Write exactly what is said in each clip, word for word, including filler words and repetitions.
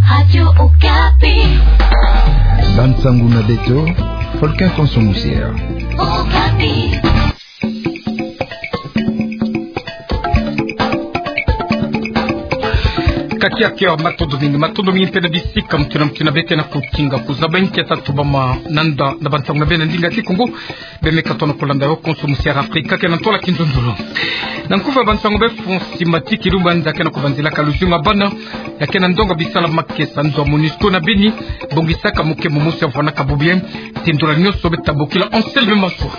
Radio Okapi. Bansangu na beto, Faustin Konso Musier. Okapi. Kakiaki, matondo mingi, matondo mingi mpe na bisika mutindu na mutindu beke na kutinga kuzaba. Nkia tatu bama nanda na bansangu na beno na ndinga Kikongo. Bemeka tona kulanda yo Konso Musier Afrika, ke na ntola kinzonzolo. Na nkufa bansangu be fonsi matiki lumba nza ke na kubanzilaka luzingu ya bana, ya ke na ndonga bisala makesa nzo ya MONUSCO na Beni, bongisaka mokembo mosi ya vwanaka bubu ya, ti ndola nyonso beta bokila Anselme Maswa.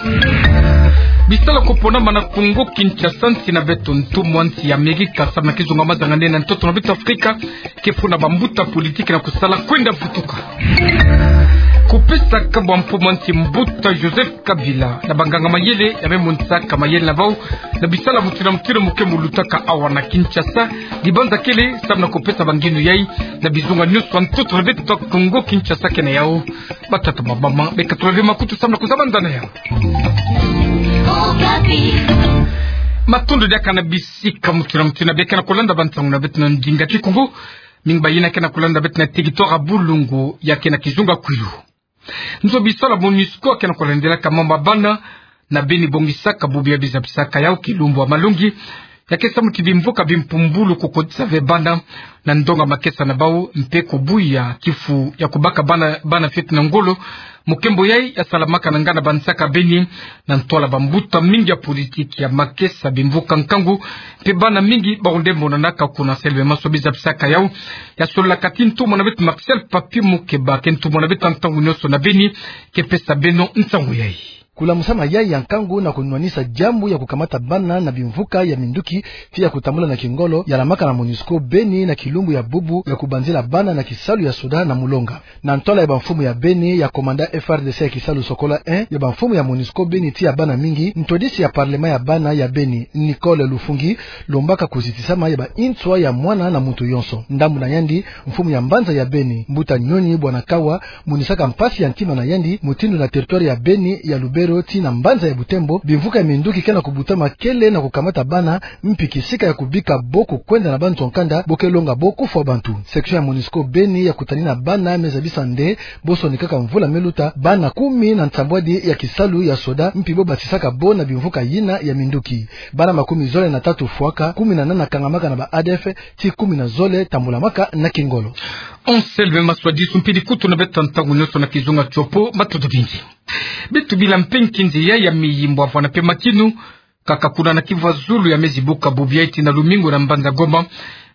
Bisala kuponama na Kongo Kinshasa nsi na beto, ntumwa nsi ya Amerika samu na kizunga mazanga nene na ntoto na beto Afrika, ke funa bambuta politiki na kusala kwenda vutuka. Kupesa kabwa mfumu nsi mbuta Joseph Kabila na banganga mayele ya me monisaka mayele na bau na bisala mutindu na mutindu mu ke mu lutaka awa na Kinshasa, dibanza kele samu na kupesa bangindu yai na bizunga nyonso ya ntoto na beto Kongo Kinshasa ke na yau. Batata, bamama, beka tula ve makutu samu na kuzaba nza na yau. Matondo diaka na bisika mutindu na mutindu beke na kulanda bansangu na beto na ndinga Kikongo, mingi bayina ke na kulanda beto na territoire ya Bulungu, ya ke na kizunga Kwilu. Nzo bisala MONUSCO ke na kulandilaka mambu ya bana na Beni bongisaka bubu ya, bizabisaka yau kilumbu ya malongi, ya ke samu ti bimvuka bimpumbulu kukotisa ve bana na ndonga makesa na bau, mpe kubuya kifu ya kubaka bana, bana fioti na ngolo. Mokembo yai ya salamaka na ngana bansaka Beni, na ntwala bambuta mingi ya politiki, ya makesa, bimvuka nkangu, mpe bana mingi bawu nde monanaka kuna. Anselme Maswa, bizabisaka yau, ya sololaka ti ntumwa na beto Marcel Papi Mukeba, ke ntumwa na beto ya ntangu nyonso na Beni, ke pesa beno nsangu yai. Kulamusama yai ya nkangu na kunwanisa diambu ya kukamata bana na bimvuka ya minduki, tii ya kutambula na kingolo, ya lamaka na MONUSCO Beni na kilumbu ya bubu ya kubanzila bana na kisalu ya soda na Mulonga. Na ntwala ya bamfumu ya Beni, ya commandant F R D C ya kisalu Sokola un, ya bamfumu ya MONUSCO Beni tii ya bana mingi, ntwadisi ya parlement ya bana ya Beni, Nicole Lufungi, lombaka kuzitisama ya ba inswa ya mwana na muntu yonso. Ndambu na yandi, mfumu ya mbanza ya Beni, mbuta Nyonyi Bwana Kawa, monisaka mpasi ya ntima na yandi mutindu na territoire ya Beni, ya Lubero tii na mbanza ya Butembo, bimvuka ya minduki ke na kubutama kele na kukamata bana, mpi kisika ya kubika bo kukwenda na bantu ya nkanda, bo ke longa bo kufwa bantu. Section ya MONUSCO Beni ya kutani na bana me zabisa nde bo sonikaka mvula me luta bana kumi na nsambwadi ya kisalu ya soda, mpi bo batisaka bo na bimvuka yina ya minduki. Bana makumi zole na tatu fwaka, kumi na nana kangamaka na ba A D F, tii kumi na zole tambulamaka na kingolo. Anselme Maswa, disu mpi dikutu na beto ya ntangu nyonso na kizunga Tshopo, matondo mingi. Beto bila mpe nkinzi yai ya miyimbwa vwana mpe makinu, kaka kuna na kivwazulu ya me zibuka bubu yai tii na lumingu na mbanza Goma.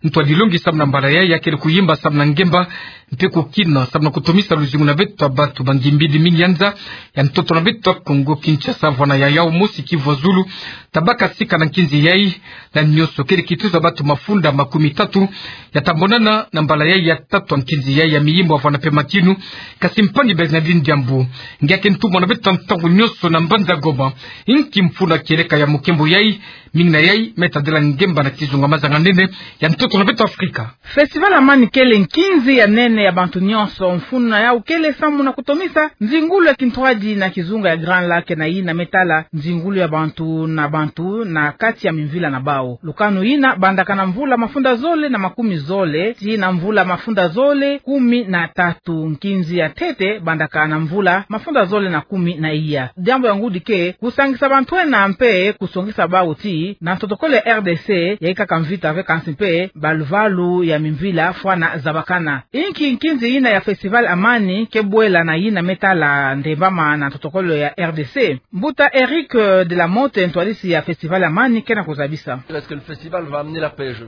Ntwadilongi samu na mbala yai ya kele kuyimba samu na ngemba, mpe kukina samu na kutomisa luzingu na beto ya bantu bangimbidi mingi ya nza ya ntoto na beto Kongo Kinshasa. Vwana ya yau mosi kivwazulu, tabaka sika na nkinzi yai, na nyonso kele kituza bantu mafunda makumi tatu ya tambonana na mbala yai ya tatu ya nkinzi yai ya miyimbwa vwana mpe makinu. Kasi mpangi Bernardine Diambu, nge ke ntumwa na beto ya ntangu nyonso na mbanza Goma, inki mfunu kieleka ya mokembo yai, mingi na yai me tadila ngemba na kizunga mazanga nene ya ntoto na beto Afrika? Festival Amani kele nkinzi ya nene ya bantu nyonso. Mfunu na yau kele samu na kutomisa nzingulu ya kintwadi na kizunga ya Grand Lac, na yina me tala nzingulu ya bantu na bantu na kati ya mimvila na bau. Lukanu yina bandaka na mvula mafunda zole na makumi zole tii na mvula mafunda zole kumi na tatu. Nkinzi ya ntete bandaka na mvula mafunda zole na kumi na iya. Diambu ya ngudi ke kusangisa bantu ena mpe kusongisa bau ti na ntotokolo ya R D C, ya ikaka mvita ve, kansi mpe baluvalu ya mimvila fwana zabakana. Inki nkinzi yina ya Festival Amani ke bwela na yina me tala ndembama na ntotokolo ya R D C? Mbuta Eric, eh, de la Motte, ntwadisi ya Festival Amani, ke na kuzabisa.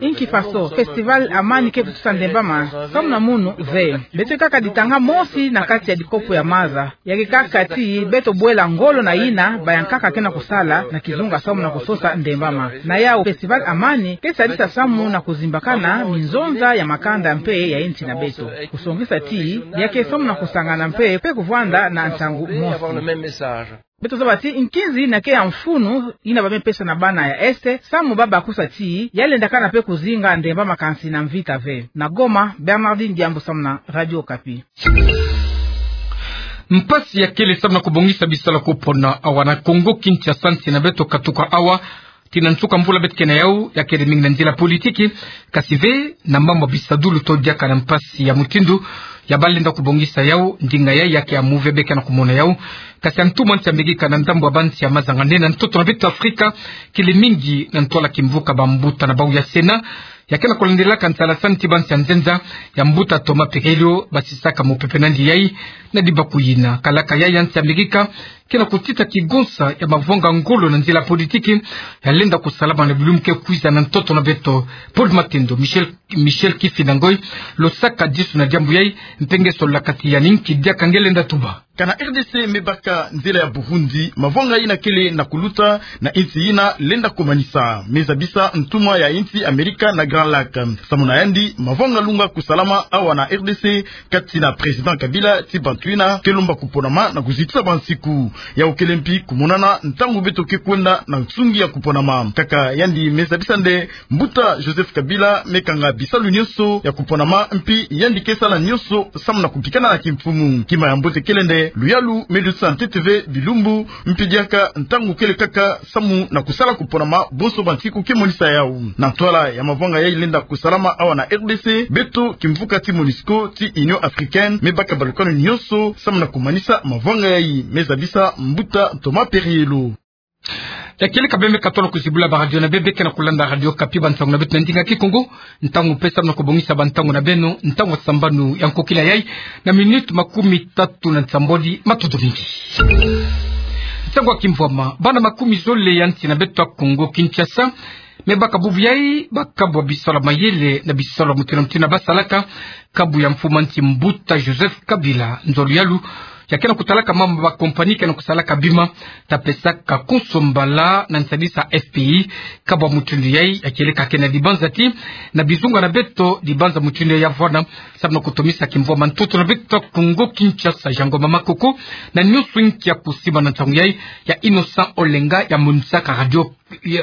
Inki faso Festival Amani ke tutusa ndembama? Samu na munu ve. Beto kaka ditanga mosi na kati ya dikopo ya maza. Ya ke kaka ti beto bwela ngolo na yina bayankaka ke na kusala na kizunga samu na kusosa ndembama. Na yau Festival Amani ke sadisa samu na kuzimbakana minzonza ya makanda mpe ya insi na beto. Kusongisa ti ya ke samu na kusangana mpe, mpe kuvwanda na nsangu mosi. Beto zaba ti nkinzi yina ke ya mfunu yina ba me pesa na bana ya Est, samu ba bakusa ti ya lendakana mpe kuzinga ndembama kansi na mvita ve. Na Goma, Bernardine Diambu samu na Radio Okapi. Mpasi ya kele samu na kubongisa bisala kupona awa na Kongo Kinshasa, nsi na beto katuka awa. tii na nsuka mvula beto ke na yau, ya kele mingi na nzila politiki, kasi ve na mambu ya bisadulu to diaka na mpasi ya mutindu ya balenda kubongisa yau. Ndinga yayi ya ke ya move beto ke na kumona yau. Kasi ya ntumwa nsi ya Amerika na ndambu ya bansi ya mazanganeno na ntoto na beto Afrika, kele mingi na ntwala kimvuka bambuta na bau ya Sénat, ya ke na kulandelaka nsalasani ti bansi ya nzenza, ya mbuta Thomas Perello basisaka mopepe na yandi yayi. Na dibaku yina, kalaka yayi ya nsi ya Amerika ke na kutita kigonsa ya mavanga ngolo na nzila politiki, ya lenda kusalama na bilumbu ke kwiza na ntoto na beto. Paul Matendo, Michel, Michel Kifinda Ngoy, lo sakadisu na diambu yayi, mpe nge sololaka ti yani nki diaka nge lenda tuba. Kana R D C me baka nzila ya Burundi, mavanga yina kele na kuluta na insi yina lenda kumanisa. Me zabisa ntumwa ya insi Amerika na Grand Lac. Samu na yandi, mavanga lunga kusalama awa na R D C, kati na Président Kabila ti bantu yina ke lomba kuponama na kuzitisa bansiku. Yau kele mpi kumonana ntangu beto ke kwenda na nsungi ya kuponama. Kaka yandi me zabisa nde mbuta Joseph Kabila me kanga bisalu nyonso ya kuponama, mpi yandi ke sala nyonso samu na kupikana na kimfumu. Kima ya mbote kele nde luyalu me dutisa ntete ve bilumbu, mpi diaka ntangu kele kaka samu na kusala kuponama bonso bansiku ke monisa yau. Na ntwala ya mavanga yayi lenda kusalama awa na R D C, beto kimvuka ti MONUSCO ti Union Africaine me baka balukanu nyonso samu na kumanisa mavanga yayi, me zabisa mbuta Thomas Perello. Ya kele ka bembe katolo kuzibula ba radio na bembe ke na kulanda Radio Okapi, bansangu na beto na ndinga Kikongo. Ntangu mpe samu na kubongisa bansangu na beno, ntangu ya sambanu ya nkokila yayi, na minute makumi tatu na nsambwadi. Matondo mingi. Nsangu ya kimvwama. Bana makumi zole ya nsi na beto ya Kongo Kinshasa me baka bubu yayi bakabu ya bisalu ya mayele na bisalu ya mutindu na mutindu basalaka, kabu ya mfumu ya nsi mbuta Joseph Kabila. Nzo luyalu ya ke na kutalaka mambu ya ba compagnie ke na kusalaka bima, ta pesaka konso mbala na nsadisa F P I. Kabu ya mutindu yayi ya kele ka ke na dibanza ti na bizunga na beto, dibanza mutindu yayi ya vwanda samu na kutomisa kimvwama ntoto na beto Kongo Kinshasa. Jean Ngoma Makoko na nyonso inki ya kusiba na nsangu yayi ya Innocent Olenga ya monisaka radio,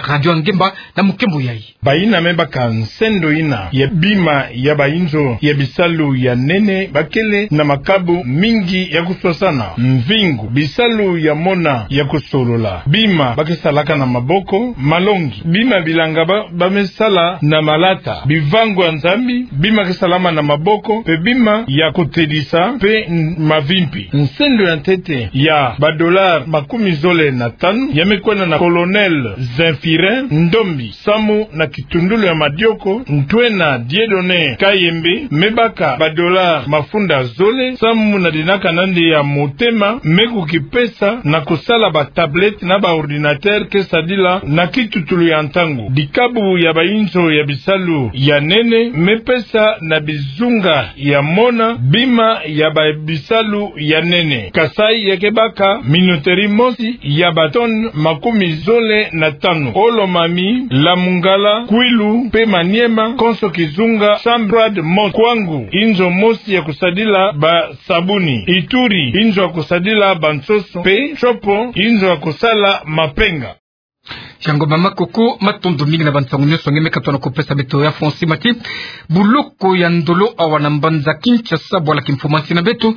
radio Ngemba na mukembo yayi. Bayina me baka nsendo yina ya bima ya bayinzo ya bisalu ya nene, bakele na makabu mingi ya kuswasana: mvingu, bisalu ya mona ya kusolola, bima ba ke salaka na maboko, malongi, bima bilanga ba, ba me sala na malata, bivangu ya Nzambi, bima ke salama na maboko, mpe bima ya kotedisa mpe n-, mavimpi. Nsendo ya ntete ya ba dollars makumi zole na tanu ya me kwenda na Colonel Zephirin Ndombi, samu na kitundulu ya madioko, ntwena Dieudonné Kayembe me baka ba dollars mafunda zole, samu na dinaka na yandi ya motema me kukipesa na kusala ba tablettes na ba ordinateurs ke sadila na kitutulu ya ntangu. Dikabu ya bayinzo ya bisalu ya nene me pesa na bizunga ya mona bima ya ba bisalu ya nene. Kasaï ya ke baka minoterie mosi ya ba tonnes makumi zole na tanu. O Lomami, Lamungala, Kwilu mpe Maniema, konso kizunga, Chambre froide mosi. Kwangu, inzo mosi ya kusadila ba sabuni. Ituri, inzo ya kusadila ba nsoso. Mpe Tshopo, inzo ya kusala mapenga. Jean Ngoma Makoko, matondo mingi na bansangu nyonso nge me katuka na kupesa beto. Ya Fonsi Mati, buloko ya Ndolo awa na mbanza Kinshasa, bwala kimfumu ya nsi na beto,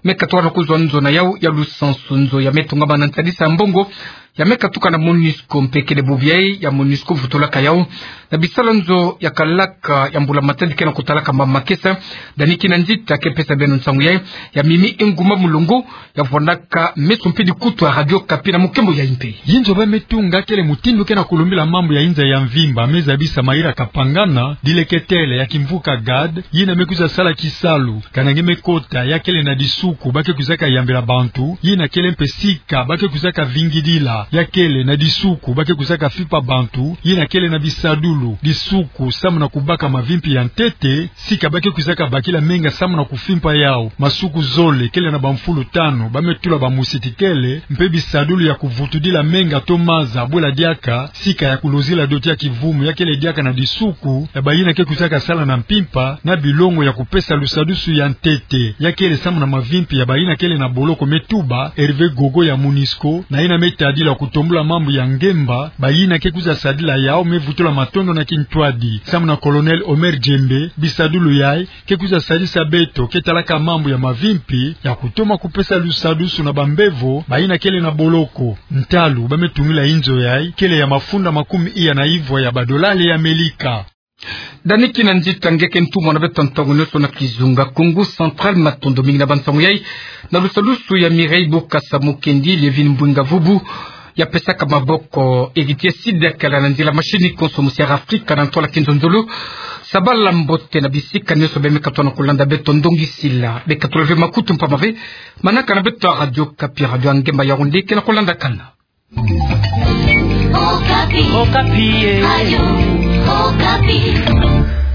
me katuka na kuzwa nzo na yau ya lusansu. Nzo ya me tongama na nsadisa ya mbongo ya me katuka na MONUSCO, mpe kele bubu yayi ya MONUSCO vutulaka yau na bisalu ya nzo ya kalaka ya mbula matadi ke na kutalaka ma makesa. Dani Kinanzita ke pesa beno nsangu yayi. Ya Mimi Inguma Mulongo ya vwandaka meso mpe dikutu ya Radio Okapi na mukembo yayi mpe. Yinzo ba me tunga kele mutindu ke na kulumbila mambu ya inza ya mvimba, me zabisa Maïra Kapangana, dileketele ya kimvuka GAD, yina me kwiza sala kisalu. Kana nge me kota, ya kele na disuku ba ke kwizaka yambila bantu, yina kele mpe sika ba ke kwizaka vingidila. Ya kele na disuku ba ke kwizaka fimpa bantu, yina kele na bisadulu, disuku samu na kubaka mavimpi ya ntete, sika ba ke kwizaka bakila menga samu na kufimpa yau. Masuku zole kele na bamfulu tanu ba me tula bamusitikele, mpe bisadulu ya kuvutudila menga to maza bwela diaka, sika ya kulozila doti ya kivumu, ya kele diaka na disuku ya bayina ke kwizaka sala na mpimpa, na bilongo ya kupesa lusadusu ya ntete. Ya kele samu na mavimpi ya bayina kele na boloko me tuba Hervé Gogo ya MONUSCO, na yina me tadila Kutombula mambu ya ngemba, bayina ke kwiza sadila yau me vutula matondo na kintwadi. Samu na Colonel Omer Djembe, bisadulu yayi ke kwiza sadisa beto ke talaka mambu ya mavimpi ya kutoma kupesa lusadusu na bambevo bayina kele na boloko. Ntalu ba me tungila inzo yayi kele ya mafunda makumi iya na ivwa ya badolari ya Amelika. Dani kina nzita nge ke ntumwa na beto ntangu nionso na kizunga Kongo Central. Matondo mingi na bansangu yayi, na lusadusu ya Mireille Bokassa Mukendi, Lievine Mbwinga Vubu ya pesaka maboko, Heritier Sidek ala na nzila machine, konso musi'Afrika na ntwala kinzonzolo. Sabala mbote na bisika nionso be me katona kulanda beto. Ndongi Sila be katula ve makutu mpamba ve manaka na beto ya Radio Okapi, radio ya ngemba ya Yaoundé ke na kulandakana. Okapi. Okapi, eh. Radio Okapi.